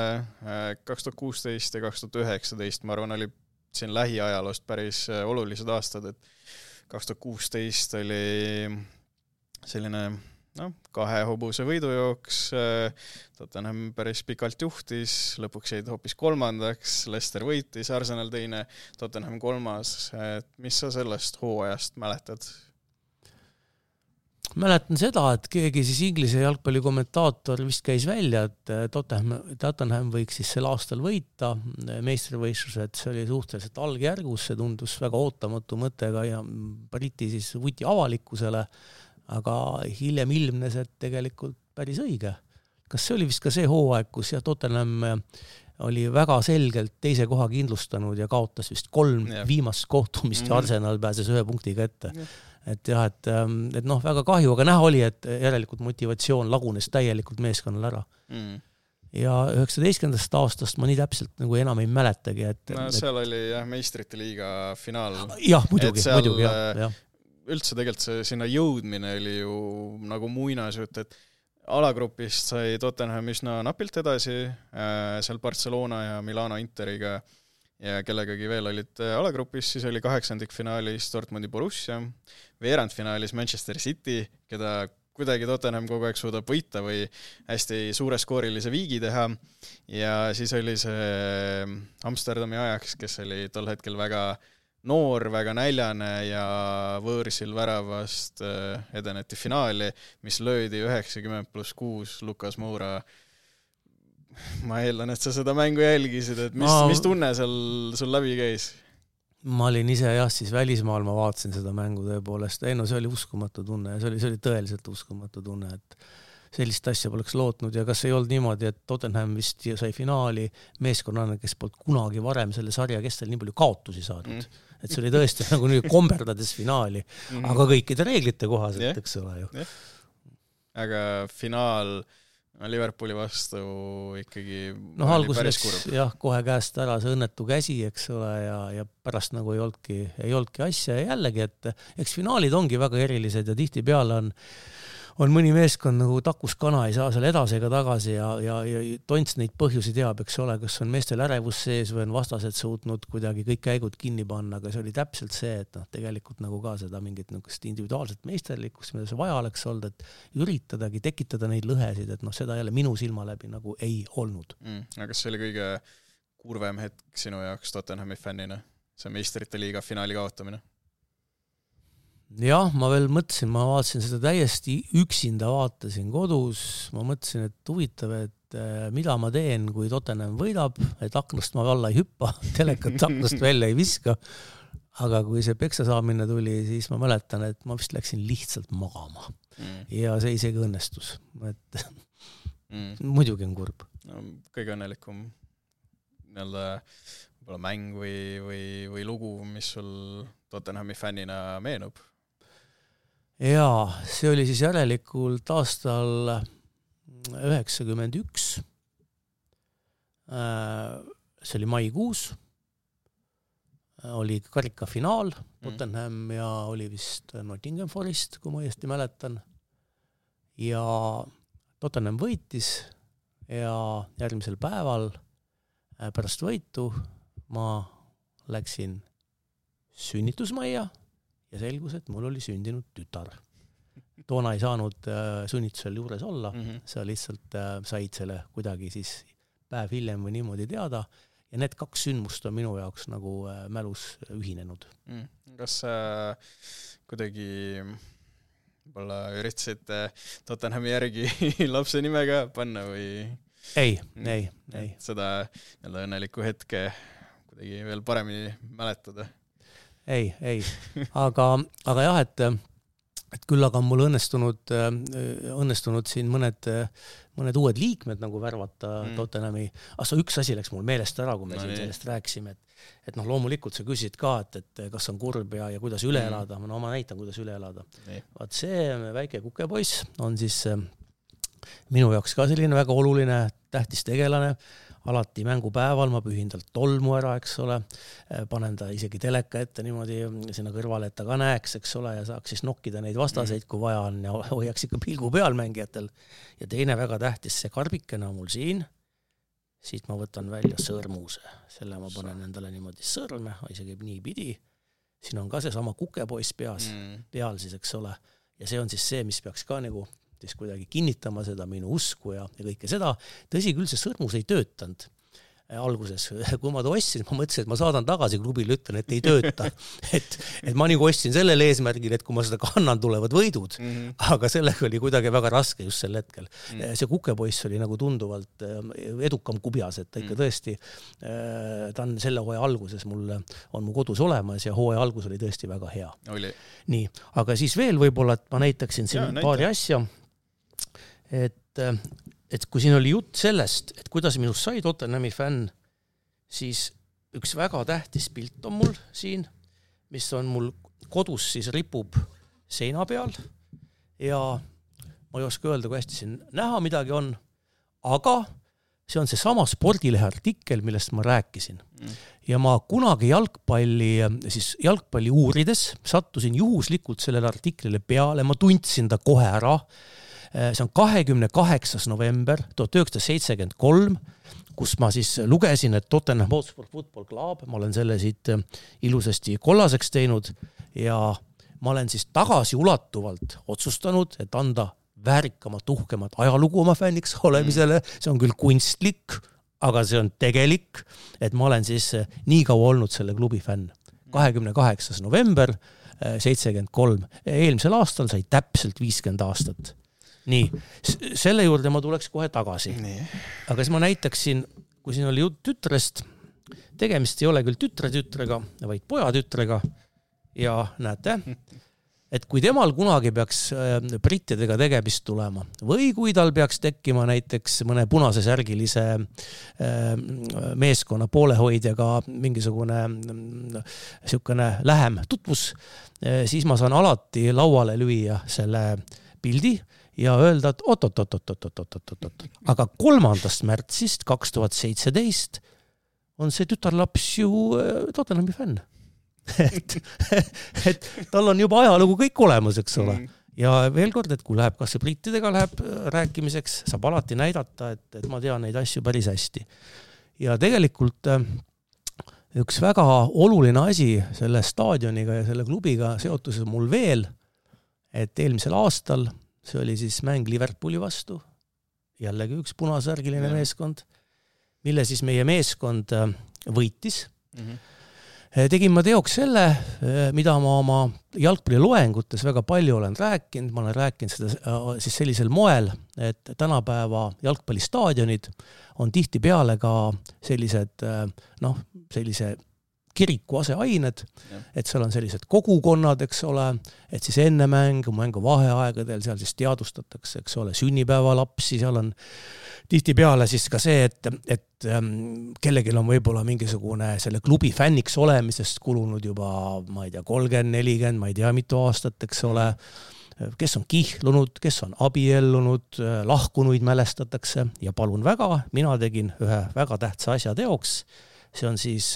2016 ja 2019, ma arvan, oli siin lähiajaloost päris olulised aastad, et 2016 oli selline 2 hobuse võidujooks, Tottenham päris pikalt juhtis, lõpuks jäid hoopis 3, Leicester võitis, Arsenal 2, Tottenham 3. Et mis sa sellest hooajast mäletad? Mäletan seda, et keegi siis Inglise jalgpallikommentaator vist käis välja, et Tottenham võiks siis sel aastal võita meistrivõistluse, et see oli suhteliselt algjärgus, see tundus väga ootamatu mõttega ja Briti siis võti avalikkusele, aga hiljem ilmnes, et tegelikult päris õige. Kas see oli vist ka see hooaeg, kus Tottenham oli väga selgelt teise koha kindlustanud ja kaotas vist 3 viimast kohtumist ja Arsenal pääses 1 punktiga ette. Et jah, et väga kahju, aga näha oli, et järelikult motivatsioon lagunes täielikult meeskonnal ära. Ja 19. aastast ma nii täpselt nagu enam ei mäletagi. Seal oli meistrite liiga finaal. Jah, muidugi, jah. Üldse tegelikult sinna jõudmine oli ju nagu muinasjutt, et alagrupist sai Tottenham üsna napilt edasi, seal Barcelona ja Milano Interiga ja kellegagi veel olid alagrupis, siis oli 8. finaalis Dortmundi Borussia, veerandfinaalis Manchester City, keda kuidagi Tottenham kogu aeg suudab võita või hästi suure skoorilise viigi teha ja siis oli see Amsterdami Ajax, kes oli tol hetkel väga noor, väga näljane ja võõrsil väravast edeneti finaali, mis löödi 90+6 Lukas Moura. Ma eeldan, et sa seda mängu jälgisid, et mis tunne sul läbi käis? Ma olin ise siis välismaal, ma vaatasin seda mängu tõepoolest. See oli uskumatu tunne ja see oli tõeliselt uskumatu tunne, et sellist asja poleks lootnud ja kas ei olnud niimoodi, et Tottenham vist sai finaali meeskonnana, kes polnud kunagi varem selle sarja kestel nii palju kaotusi saanud. Et see oli tõesti nagu nüüd komberdades finaali, aga kõikide reeglite kohaselt, eks ole ju. Aga finaal Liverpooli vastu ikkagi alguses läks kohe käest ära see õnnetu käsi, eks ole, ja pärast nagu ei olnudki asja ja jällegi, et eks finaalid ongi väga erilised ja tihtipeale on mõni meeskond nagu takuskana, ei saa seal edasi ega tagasi ja Tonts neid põhjusi teab, eks ole, kas on meestel ärevus sees või on vastased suutnud kuidagi kõik käigud kinni panna, aga see oli täpselt see, et tegelikult nagu ka seda mingit individuaalset meisterlikkust, mida see vaja oleks olnud, et üritadagi tekitada neid lõhesid, et seda jälle minu silma läbi nagu ei olnud. Aga kas see oli kõige kurvem hetk sinu jaoks Tottenhami fännina, see meistrite liiga finaali kaotamine? Jah, ma veel mõtlesin, ma vaatasin seda täiesti üksinda, vaatasin kodus, ma mõtlesin, et huvitav, et mida ma teen, kui Tottenham võidab, et aknast ma alla ei hüppa, telekat aknast välja ei viska, aga kui see peksa saamine tuli, siis ma mäletan, et ma vist läksin lihtsalt magama ja see isegi õnnestus, et muidugi on kurb. No, kõige õnnelikum võib-olla mäng või lugu, mis sul Tottenhami fännina meenub? Jaa, see oli siis järelikult aastal 91. See oli maikuus. Oli karikafinaal Tottenham ja oli vist Nottingham Forest, kui ma õiesti mäletan. Ja Tottenham võitis ja järgmisel päeval pärast võitu ma läksin sünnitusmajja ja selgus, et mul oli sündinud tütar. Toona ei saanud sünnitusel juures olla, sa lihtsalt said selle kuidagi siis päev hiljem või niimoodi teada ja need 2 sündmust on minu jaoks nagu mälus ühinenud. Kas kuidagi võib-olla üritasid Tottenhami järgi lapse nimega panna või? Ei. Seda õnnelikku hetke kuidagi veel paremini mäletada? Ei. Aga jah, et küll aga on mul õnnestunud siin mõned uued liikmed nagu värvata Tottenhami. Üks asi läks mul meelest ära, kui me siin sellest rääkisime, et loomulikult sa küsid ka, et kas on kurb ja kuidas üle elada. Ma näitan, kuidas üle elada. Vaat see väike kukepoiss on siis minu jaoks ka selline väga oluline tähtis tegelane. Alati mängupäeval ma pühin talt tolmu ära, eks ole, panen ta isegi teleka ette niimoodi sinna kõrvale, et ta ka näeks, eks ole, ja saaks siis nokkida neid vastaseid, kui vaja on ja hoiaks ikka pilgu peal mängijatel. Ja teine väga tähtis, see karbikene on mul siin, siit ma võtan välja sõrmuse, selle ma panen endale niimoodi sõrme, isegi nii pidi, siin on ka see sama kukepoiss peal siis, eks ole, ja see on siis see, mis peaks ka nagu siis kuidagi kinnitama seda minu usku ja kõike seda. Tõsi küll, see sõrmus ei töötanud alguses. Kui ma ta ostsin, ma mõtlesin, et ma saadan tagasi klubile, ütlen, et ei tööta. Et ma nagu ostsin sellel eesmärgil, et kui ma seda kannan, tulevad võidud. Aga sellega oli kuidagi väga raske just sel hetkel. See kukepoiss oli nagu tunduvalt edukam kubjas, et ta ikka tõesti, ta on selle hooaja alguses on mu kodus olemas ja hooaja algus oli tõesti väga hea. Nii, aga siis veel võib-olla, et ma näitaksin siin paari asja, et kui siin oli jutt sellest, et kuidas minust sai Tottenhami fänn, siis üks väga tähtis pilt on mul siin, mis on mul kodus siis ripub seina peal ja ma ei oska öelda, kui hästi siin näha midagi on, aga see on see sama spordilehe artikkel, millest ma rääkisin. Ja ma kunagi jalgpalli uurides sattusin juhuslikult sellele artiklile peale, ma tundsin ta kohe ära. See on 28. november 1973, kus ma siis lugesin, et Tottenham Hotspur Football Club, ma olen selle siit ilusasti kollaseks teinud ja ma olen siis tagasiulatuvalt otsustanud, et anda väärikamat, uhkemat ajalugu oma fänniks olemisele. See on küll kunstlik, aga see on tegelik, et ma olen siis nii kaua olnud selle klubi fänn. 28. november 73. Eelmisel aastal sai täpselt 50 aastat. Nii, selle juurde ma tuleks kohe tagasi. Aga siis ma näitaksin, kui siin oli jutt tütrest, tegemist ei ole küll tütrega, vaid pojatütrega ja näete, et kui temal kunagi peaks brittidega tegemist tulema või kui tal peaks tekkima näiteks mõne punase särgilise meeskonna poolehoidjaga mingisugune niisugune lähem tutvus, siis ma saan alati lauale lüüa selle pildi ja öelda, et oot. Aga 3. märtsist 2017 on see tütarlaps ju Tottenhami fänn. Et tal on juba ajalugu kõik olemas, eks ole. ja veel kord, et kui läheb, kas see brittidega läheb rääkimiseks, saab alati näidata, et ma tean neid asju päris hästi. Ja tegelikult üks väga oluline asi selle staadioniga ja selle klubiga seotuses mul veel, et eelmisel aastal, see oli siis mäng Liverpooli vastu, jällegi üks punasärgiline meeskond, mille siis meie meeskond võitis. Tegin ma teoks selle, mida ma oma jalgpalliloengutes väga palju olen rääkinud. Ma olen rääkinud seda siis sellisel moel, et tänapäeva jalgpallistaadionid on tihti peale ka sellised, sellise kiriku aseained, et seal on sellised kogukonnad, eks ole, et siis enne mängu vaheaegadel seal siis teadustatakse, eks ole, sünnipäevalapsi, seal on tihti peale siis ka see, et kellegil on võib-olla mingisugune selle klubi fänniks olemisest kulunud juba, ma ei tea, 30, 40, ma ei tea, mitu aastat, eks ole, kes on kihlunud, kes on abiellunud, lahkunuid mälestatakse ja palun väga, mina tegin ühe väga tähtsa asja teoks, see on siis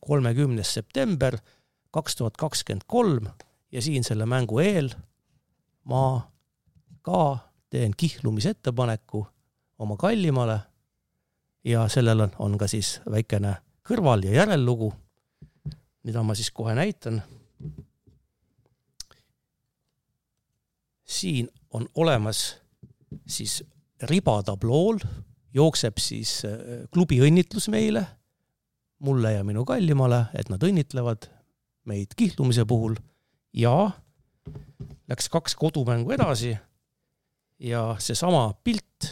30. september 2023 ja siin selle mängu eel ma ka teen kihlumisettepaneku oma kallimale ja sellel on ka siis väikene kõrval- ja järellugu, mida ma siis kohe näitan. Siin on olemas siis ribatablool, jookseb siis klubi õnnitlus meile, mulle ja minu kallimale, et nad õnnitlevad meid kihlumise puhul ja läks 2 kodumängu edasi ja seesama pilt,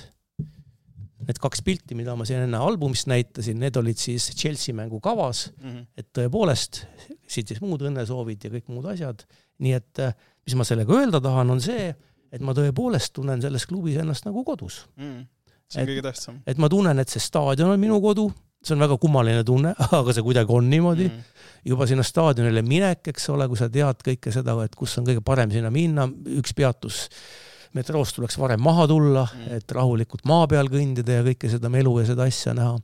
need 2 pilti, mida ma siin enne albumist näitasin, need olid siis Chelsea mängu kavas, et tõepoolest siit siis muud õnnesoovid ja kõik muud asjad. Nii et mis ma sellega öelda tahan, on see, et ma tõepoolest tunnen selles klubis ennast nagu kodus. See on kõige tähtsam. Et ma tunnen, et see staadion on minu kodu, see on väga kummaline tunne, aga see kuidagi on niimoodi. Juba sinna staadionile minek, eks ole, kui sa tead kõike seda, et kus on kõige parem sinna minna, üks peatus metroost tuleks varem maha tulla, et rahulikult maa peal kõndida ja kõike seda melu ja seda asja näha.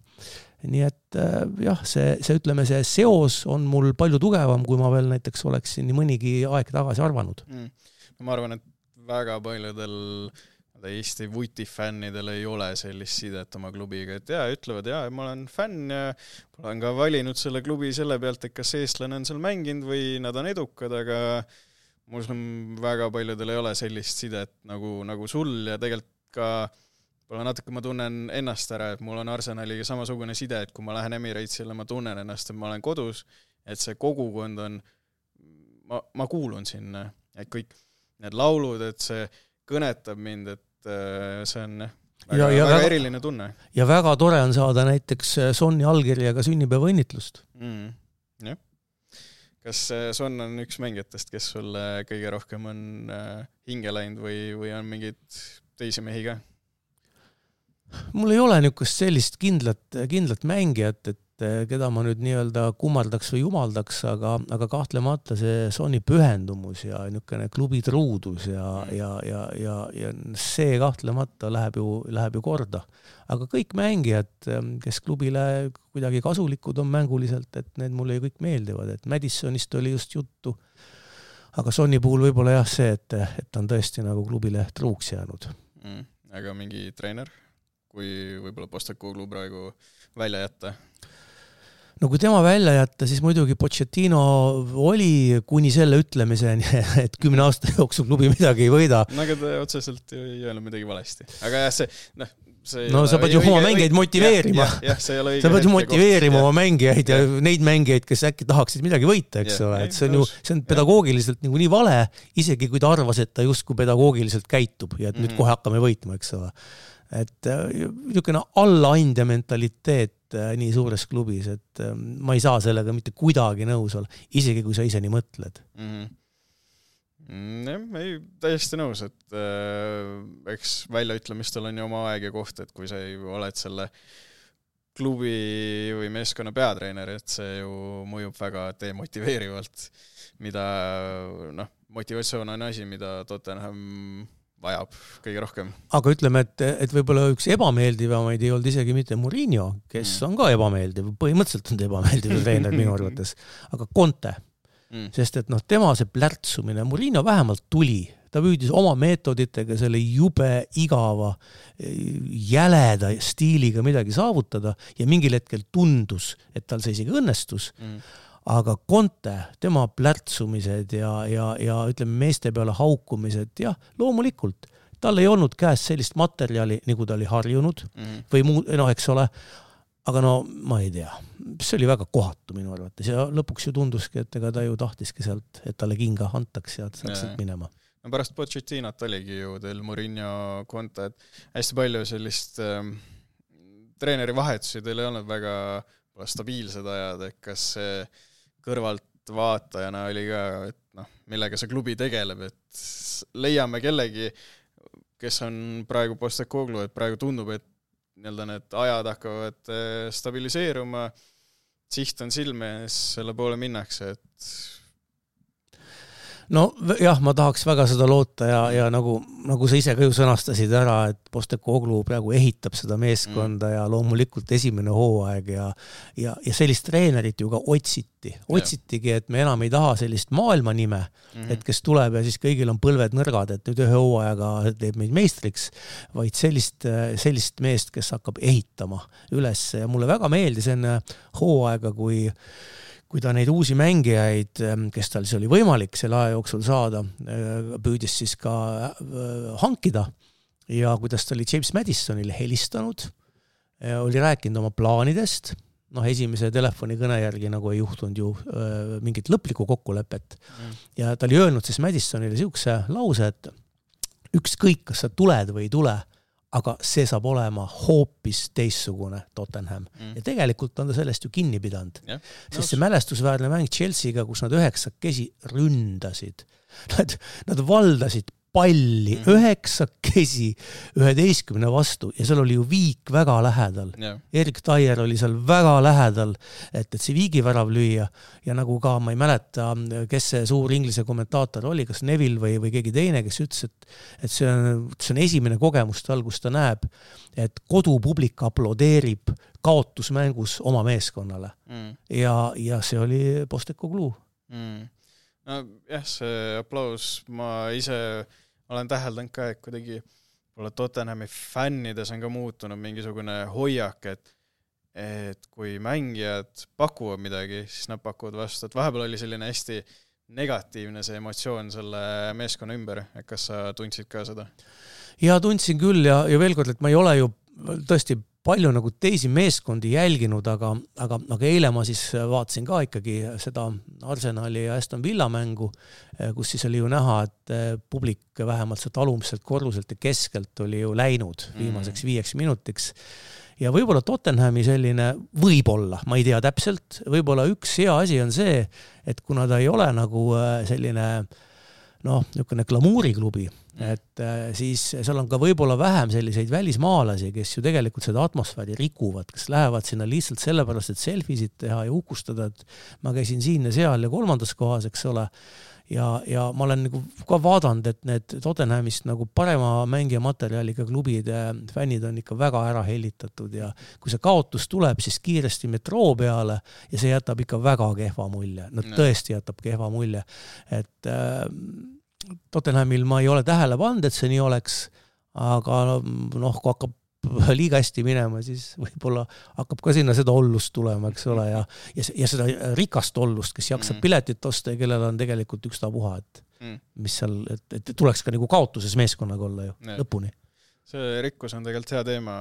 Nii et jah, see ütleme, see seos on mul palju tugevam, kui ma veel näiteks oleksin nii mõnigi aeg tagasi arvanud. Ma arvan, et väga paljudel Eesti vutifännidel ei ole sellist sidet oma klubiga, et ütlevad, ma olen fänn ja olen ka valinud selle klubi selle pealt, et kas eestlane on seal mänginud või nad on edukad, aga mul väga paljudel ei ole sellist sidet nagu sul ja tegelikult ka natuke ma tunnen ennast ära, et mul on Arsenaliga samasugune side, et kui ma lähen Emiratesile, ma tunnen ennast, et ma olen kodus, et see kogukond on, ma kuulun sinna, et kõik need laulud, et see kõnetab mind, et see on väga eriline tunne. Ja väga tore on saada näiteks Sonni allkirjaga sünnipäeva õnnitlust. Jah. Kas Son on üks mängijatest, kes sulle kõige rohkem on hinge läinud või on mingid teisi mehi ka? Mul ei ole niisugust sellist kindlat mängijat, et keda ma nüüd nii-öelda kummardaks või jumaldaks, aga kahtlemata see Sonni pühendumus ja niisugune klubi truudus ja see kahtlemata läheb ju korda. Aga kõik mängijad, kes klubile kuidagi kasulikud on mänguliselt, et need mulle kõik meeldivad, et Madisonist oli just juttu, aga Sonni puhul võib-olla jah see, et on tõesti nagu klubile truuks jäänud. Aga mingi treener, kui võib-olla Postecoglou praegu välja jätta? No kui tema välja jätta, siis muidugi Pochettino oli kuni selle ütlemiseni, et 10 aasta jooksul klubi midagi ei võida. Aga ta otseselt ei öelnud midagi valesti. Aga jah, sa pead ju oma mängijaid motiveerima. Sa pead ju motiveerima oma mängijaid ja neid mängijaid, kes äkki tahaksid midagi võita, eks ole. See on pedagoogiliselt nii vale, isegi kui ta arvas, et ta justkui pedagoogiliselt käitub ja et nüüd kohe hakkame võitma, eks ole. Et niisugune allaandja mentaliteet nii suures klubis, et ma ei saa sellega mitte kuidagi nõus olla, isegi kui sa ise nii mõtled. Ei, täiesti nõus, et eks väljaütlemistel on ju oma aeg ja koht, et kui sa oled selle klubi või meeskonna peatreener, et see ju mõjub väga demotiveerivalt, mida motivatsioon on asi, mida Tottenham vajab kõige rohkem. Aga ütleme, et võib-olla üks ebameeldivamaid ei olnud isegi mitte Mourinho, kes on ka ebameeldiv, põhimõtteliselt on ebameeldiv treener minu arvates, aga Conte. Sest et tema see plärtsumine, Mourinho vähemalt tuli ta püüdis oma meetoditega selle jube igava, jäleda stiiliga midagi saavutada ja mingil hetkel tundus, et tal see isegi õnnestus, aga Conte, tema plärtsumised ja ütleme meeste peale haukumised, jah, loomulikult, tal ei olnud käes sellist materjali, nagu ta oli harjunud või muu, eks ole, aga no ma ei tea, see oli väga kohatu minu arvates ja lõpuks ju tunduski, et ega ta ju tahtiski sealt, et talle kinga antaks ja saaks sealt minema. No pärast Pochettinot oligi ju teil Mourinho, Conte, et hästi palju sellist treeneri vahetusi teil ei olnud väga stabiilsed ajad, et kas see kõrvalt vaatajana oli ka, et noh, millega see klubi tegeleb, et leiame kellegi, kes on praegu Postecoglou, et praegu tundub, et need ajad hakkavad stabiliseeruma, siht on silme ees, selle poole minnakse, et no jah, ma tahaks väga seda loota ja nagu sa ise ka ju sõnastasid ära, et Postecoglou praegu ehitab seda meeskonda ja loomulikult esimene hooaeg ja sellist treenerit ju ka otsitigi, et me enam ei taha sellist maailma nime, et kes tuleb ja siis kõigil on põlved nõrgad, et nüüd ühe hooajaga teeb meid meistriks, vaid sellist meest, kes hakkab ehitama üles ja mulle väga meeldis enne hooaega, kui ta neid uusi mängijaid, kes tal siis oli võimalik selle aja jooksul saada, püüdis siis ka hankida ja kuidas ta oli James Madisonile helistanud, oli rääkinud oma plaanidest, esimese telefonikõne järgi nagu ei juhtunud ju mingit lõplikku kokkulepet ja ta oli öelnud siis Madisonile siukse lause, et ükskõik, kas sa tuled või ei tule, aga see saab olema hoopis teissugune Tottenham. Ja tegelikult on ta sellest ju kinni pidanud. Sest see mälestusväärne mäng Chelsea'ga, kus nad 9 ründasid. Nad valdasid palli 9 11 vastu ja seal oli ju Viik väga lähedal. Erik Dyer oli seal väga lähedal, et see Viigi värav lüüa ja nagu ka ma ei mäleta, kes see suur inglise kommentaator oli, kas Neville või keegi teine, kes ütles, et see on esimene kogemus tal, kus ta näeb, et kodupublik aplodeerib kaotusmängus oma meeskonnale. Ja see oli Postecoglou. No jah, see aplaus, ma ise olen täheldanud ka, et kuidagi Tottenhami fännides on ka muutunud mingisugune hoiak, et kui mängijad pakuvad midagi, siis nad pakuvad vastu, et vahepeal oli selline hästi negatiivne see emotsioon selle meeskonna ümber, et kas sa tundsid ka seda? Ja tundsin küll ja veel kord, et ma ei ole ju tõesti palju nagu teisi meeskondi jälginud, aga eile ma siis vaatasin ka ikkagi seda Arsenali ja Aston Villa mängu, kus siis oli ju näha, et publik vähemalt sealt alumiselt korruselt ja keskelt oli ju läinud viimaseks 5 minutiks. Ja võib-olla Tottenhami selline, võib-olla, ma ei tea täpselt, võib-olla üks hea asi on see, et kuna ta ei ole nagu selline niisugune glamuuriklubi, et siis seal on ka võib-olla vähem selliseid välismaalasi, kes ju tegelikult seda atmosfääri rikuvad, kes lähevad sinna lihtsalt sellepärast, et selfisid teha ja ukustada, et ma käisin siin ja seal ja 3. kohas, eks ole. Ja ma olen nagu ka vaadanud, et need Tottenhamist nagu parema mängija materjaliga klubide fännid on ikka väga ära hellitatud ja kui see kaotus tuleb, siis kiiresti metroo peale ja see jätab ikka väga kehva mulje. Tõesti jätab kehva mulje. Et Tottenhamil ma ei ole tähele pannud, et see nii oleks, aga kui hakkab liiga hästi minema, siis võib-olla hakkab ka sinna seda ollust tulema, eks ole, ja seda rikast ollust, kes jaksab piletit osta ja kellel on tegelikult ükstapuha, et mis seal, et tuleks ka nagu kaotuses meeskonnaga olla ju lõpuni. See rikkus on tegelikult hea teema.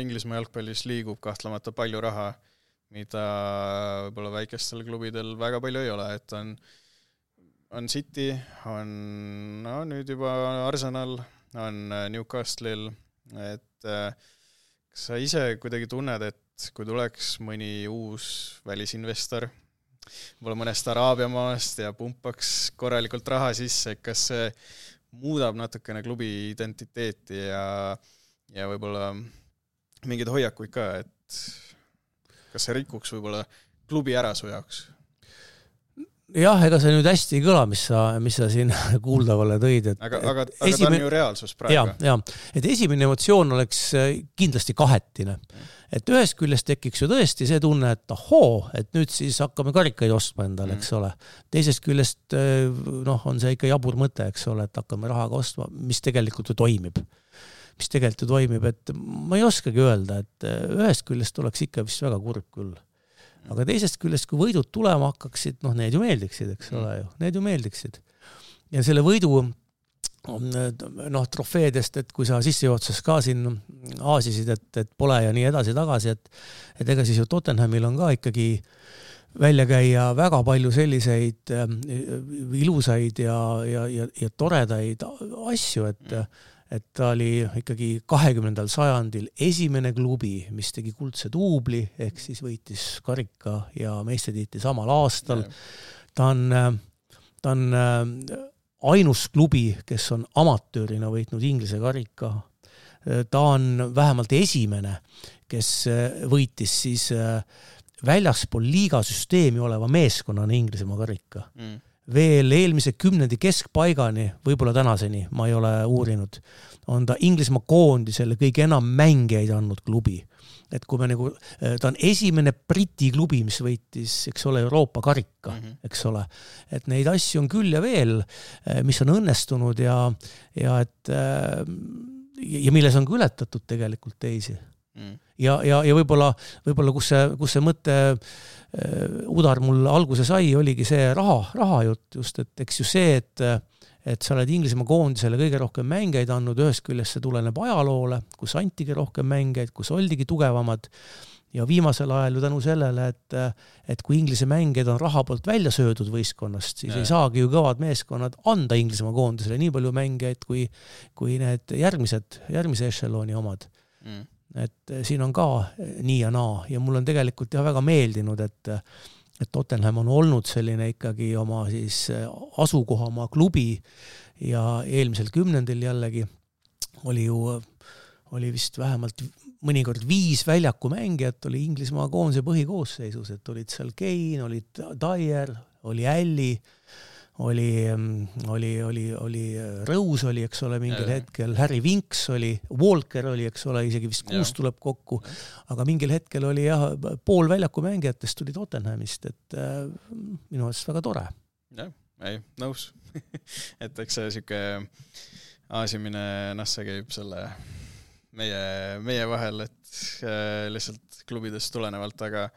Inglismaa jalgpallis liigub kahtlemata palju raha, mida võib-olla väikestel klubidel väga palju ei ole, et on City, on nüüd juba Arsenal, on Newcastle'il, et kas sa ise kuidagi tunned, et kui tuleks mõni uus välisinvestor, võib-olla mõnest Araabia maast ja pumpaks korralikult raha sisse, kas see muudab natukene klubi identiteeti ja võib-olla mingeid hoiakuid ka, et kas see rikuks võib-olla klubi ära su jaoks? jah, ega see nüüd hästi ei kõla, mis sa siin kuuldavale tõid. Aga ta on ju reaalsus praegu. Ja, et esimene emotsioon oleks kindlasti kahetine. Et ühest küljest tekiks ju tõesti see tunne, et et nüüd siis hakkame karikaid ostma endale, eks ole. Teisest küljest on see ikka jabur mõte, eks ole, et hakkame rahaga ostma, mis tegelikult ju toimib. Et ma ei oskagi öelda, et ühest küljest oleks ikka vist väga kurb küll. Aga teisest küljest, kui võidud tulema hakkaksid, need ju meeldiksid, eks ole ju. Need ju meeldiksid. Ja selle võidu trofeedest, et kui sa sissejuhatuses ka siin aasisid, et pole ja nii edasi tagasi, et ega siis ju Tottenhamil on ka ikkagi välja käia väga palju selliseid ilusaid ja toredaid asju, et ta oli ikkagi 20. sajandil esimene klubi, mis tegi kuldse duubli, ehk siis võitis karika ja meistritiitli samal aastal. Ta on ainus klubi, kes on amatöörina võitnud Inglise karika. Ta on vähemalt esimene, kes võitis siis väljaspool liigasüsteemi oleva meeskonnana Inglismaa karika. Veel eelmise 10. keskpaigani, võib-olla tänaseni, ma ei ole uurinud, on ta Inglismaa koondisele kõige enam mängijaid andnud klubi. Et kui me ta on esimene Briti klubi, mis võitis, eks ole, Euroopa karika, eks ole. Et neid asju on küll ja veel, mis on õnnestunud ja milles on ületatud tegelikult teisi. Ja võib-olla kus see mõte udar mul alguse sai, oligi see raha jutt just, et eks ju see, et sa oled Inglismaa koondisele kõige rohkem mängijaid andnud, ühest küljest see tuleneb ajaloole, kus antigi rohkem mängijaid, kus oldigi tugevamad ja viimasel ajal ju tänu sellele, et kui Inglise mängijad on raha poolt välja söödud võistkonnast, siis ei saagi ju kõvad meeskonnad anda Inglismaa koondisele nii palju mängijaid kui need järgmise ešelooni omad. Et siin on ka nii ja naa ja mul on tegelikult väga meeldinud, et Tottenham on olnud selline ikkagi oma siis asukohamaa klubi ja eelmisel 10. jällegi oli vist vähemalt mõnikord 5 väljakumängijat oli Inglismaa koondise põhikoosseisus, et olid seal Kane, olid Dyer, oli Alli, oli Rose oli, eks ole, mingil hetkel, Harry Winks oli, Walker oli, eks ole, isegi vist 6 tuleb kokku, aga mingil hetkel oli pool väljaku mängijatest tuli Tottenhamist, et minu arust väga tore. Ei, nõus. Et eks see siuke aasimine, see käib selle meie vahel, et lihtsalt klubidest tulenevalt, aga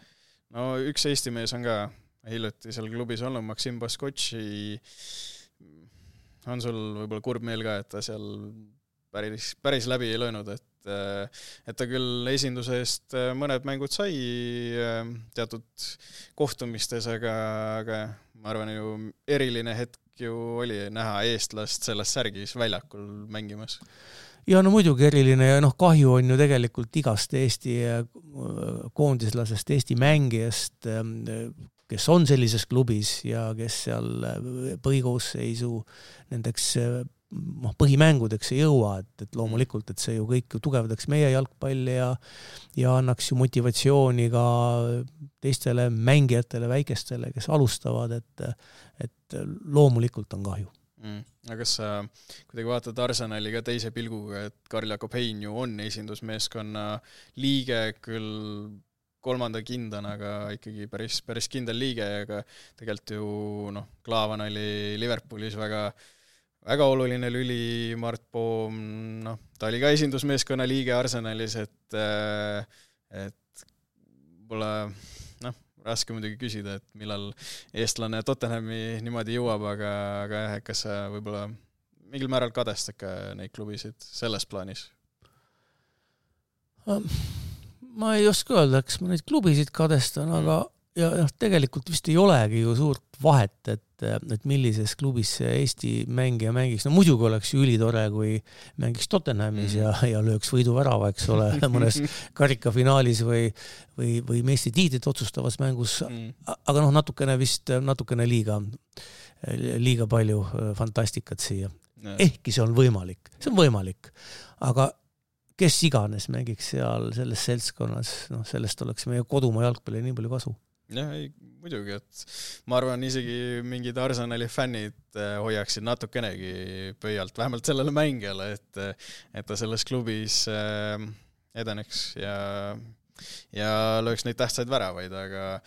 üks Eesti mees on ka hiljuti seal klubis olnud, Maksim Baskotši, on sul võib-olla kurb meel ka, et ta seal päris läbi ei löönud, et ta küll esinduse eest mõned mängud sai teatud kohtumistes, aga ma arvan ju eriline hetk ju oli näha eestlast selles särgis väljakul mängimas. Ja muidugi eriline ja kahju on ju tegelikult igast Eesti koondislasest, Eesti mängijast, kes on sellises klubis ja kes seal põhikoosseisu nendeks põhimängudeks ei jõua, et loomulikult, et see ju kõik tugevdaks meie jalgpalli ja annaks ju motivatsiooni ka teistele mängijatele, väikestele, kes alustavad, et loomulikult on kahju. Aga kas sa kuidagi vaatad Arsenali ka teise pilguga, et Karl Jakob Hein ju on esindusmeeskonna liige küll 3. kindana, aga ikkagi päris kindel liige, aga tegelikult ju Klaavan oli Liverpoolis väga oluline lüli, Mart Poom, ta oli ka esindusmeeskonna liige Arsenalis, et pole raske muidugi küsida, et millal eestlane Tottenhami niimoodi jõuab, aga kas sa võib-olla mingil määral kadestad ka neid klubisid selles plaanis? Ma ei oska öelda, kas ma neid klubisid kadestan, aga tegelikult vist ei olegi ju suurt vahet, et millises klubis Eesti mängija mängiks. Muidugi oleks ju ülitore, kui mängiks Tottenhamis ja lööks võiduvärava, eks ole, mõnes karikafinaalis või meistritiitlit otsustavas mängus, aga natukene liiga palju fantastikat siia. Ehkki see on võimalik, aga kes iganes mängiks seal selles seltskonnas, sellest oleks meie kodumaa jalgpalli nii palju kasu. Jah, ei, muidugi, et ma arvan isegi mingid Arsenali fännid hoiaksid natukenegi pöialt, vähemalt sellele mängijale, et ta selles klubis edeneks ja lööks neid tähtsaid väravaid, aga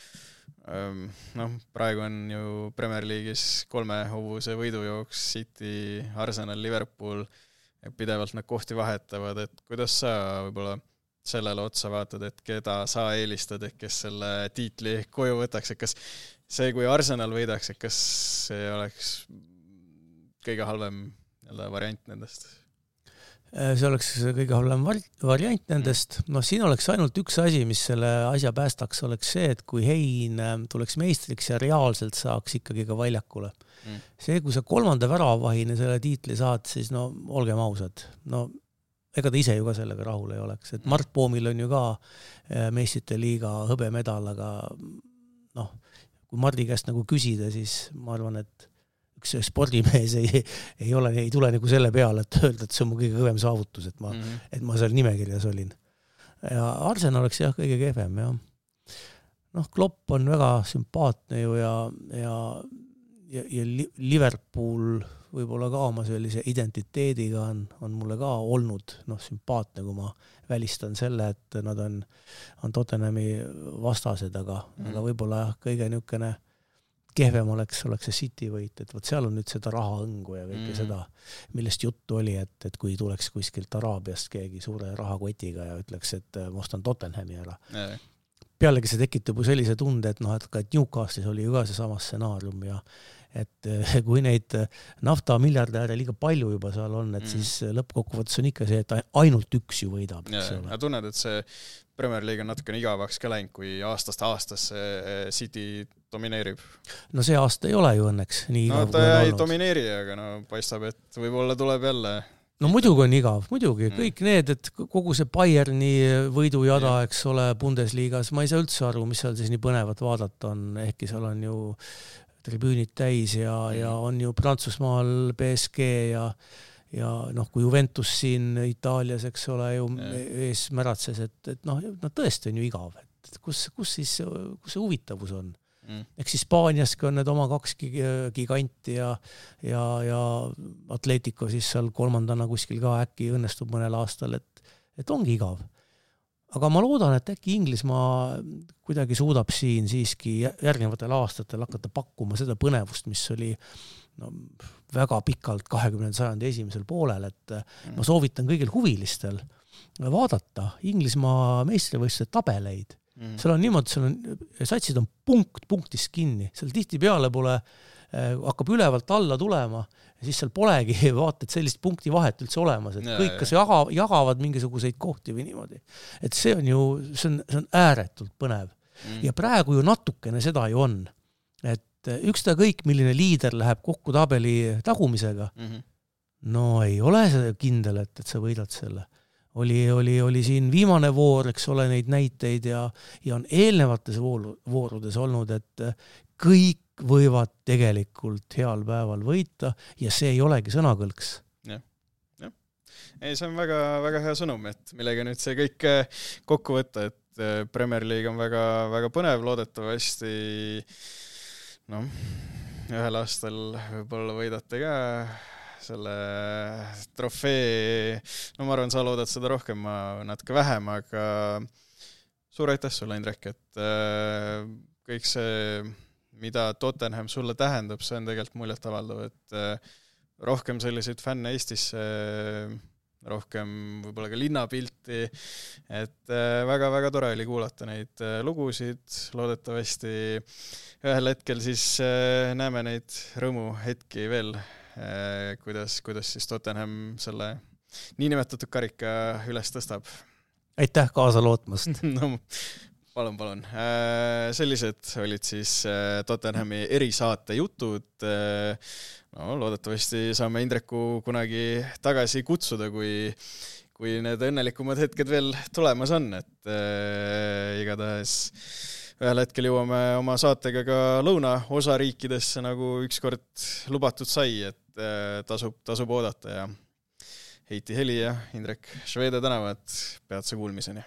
praegu on ju Premier League'is 3 huvuse võidujooks City, Arsenal, Liverpool, pidevalt nad kohti vahetavad, et kuidas sa võib-olla sellele otsa vaatad, et keda sa eelistad, et kes selle tiitli koju võtaks, et kas see, kui Arsenal võidaks, et kas see oleks kõige halvem variant nendest? See oleks kõige halvem variant nendest. Siin oleks ainult üks asi, mis selle asja päästaks, oleks see, et kui Hein tuleks meistriks ja reaalselt saaks ikkagi ka väljakule. See, kui sa 3. väravahine selle tiitli saad, siis olgem ausad, ega ta ise ju ka sellega rahul ei oleks. Et Mart Poomil on ju ka meistrite liiga hõbemedal, aga kui Mardi käest nagu küsida, siis ma arvan, et üks spordimees ei tule nagu selle peale, et öelda, et see on mu kõige kõvem saavutus, et ma seal nimekirjas olin. Ja Arsenal oleks jah kõige kehvem, jah. Klopp on väga sümpaatne ju ja Liverpool võib-olla ka oma sellise identiteediga on mulle ka olnud sümpaatne, kui ma välistan selle, et nad on Tottenhami vastased, aga võib-olla kõige niisugune kehvem oleks see City võit, et seal on nüüd seda rahaõngu ja kõike seda, millest juttu oli, et kui tuleks kuskilt Araabiast keegi suure rahakotiga ja ütleks, et ma ostan Tottenhami ära. Pealegi see tekitab ju sellise tunde, et Newcastle'is oli ju ka see sama stsenaarium ja et kui neid naftamiljardääre liiga palju juba seal on, et siis lõppkokkuvõttes on ikka see, et ainult üks ju võidab. Ja tunned, et see Premier League on natukene igavaks ka läinud, kui aastast City domineerib. See aasta ei ole ju õnneks nii igav, ta ei domineeri, aga paistab, et võib-olla tuleb jälle. Muidugi on igav, muidugi. Kõik need, et kogu see Bayerni võidujada, eks ole, Bundesliigas, ma ei saa üldse aru, mis seal siis nii põnevat vaadata on, ehkki seal on ju tribüünid täis ja on ju Prantsusmaal PSG ja kui Juventus siin Itaalias, eks ole, ju ees märatses, et tõesti on ju igav, et kus see huvitavus on. Eks Hispaaniaski on need oma 2 giganti ja Atletico siis seal 3. kuskil ka äkki õnnestub mõnel aastal, et ongi igav. Aga ma loodan, et äkki Inglismaa kuidagi suudab siin siiski järgnevatel aastatel hakata pakkuma seda põnevust, mis oli väga pikalt 20. sajandi esimesel poolel, et ma soovitan kõigil huvilistel vaadata Inglismaa meistrivõistluste tabeleid. Seal on niimoodi, satsid on punktist kinni, seal tihtipeale hakkab ülevalt alla tulema ja siis seal polegi vaata, et sellist punkti vahet üldse olemas, et kõik kas jagavad mingisuguseid kohti või niimoodi. Et see on ääretult põnev. Ja praegu ju natukene seda ju on, et üksta kõik, milline liider läheb kokku tabeli tagumisega, ei ole see kindel, et sa võidad selle. Oli siin viimane voor, eks ole, neid näiteid ja on eelnevates voorudes olnud, et kõik võivad tegelikult heal päeval võita ja see ei olegi sõnakõlks. Ei, see on väga, väga hea sõnum, et millega nüüd see kõik kokku võtta, et Premier League on väga, väga põnev, loodetavasti ühel aastal võib-olla võidate ka selle trofee, ma arvan, sa loodad seda rohkem, ma natuke vähem, aga suur aitäh sulle, Indrek, et kõik see, mida Tottenham sulle tähendab, see on tegelikult muljet avaldav, et rohkem selliseid fänne Eestisse, rohkem võib-olla ka linnapilti, et väga-väga tore oli kuulata neid lugusid, loodetavasti ühel hetkel siis näeme neid rõõmuhetki veel, kuidas siis Tottenham selle niinimetatud karika üles tõstab. Aitäh kaasa lootmast! Palun. Sellised olid siis Tottenhami erisaate jutud. Loodetavasti saame Indreku kunagi tagasi kutsuda, kui need õnnelikumad hetked veel tulemas on, et igatahes ühel hetkel jõuame oma saatega ka lõunaosariikidesse, nagu ükskord lubatud sai, et tasub oodata ja Heiti Heli ja Indrek Švede tänavad peatse kuulmiseni.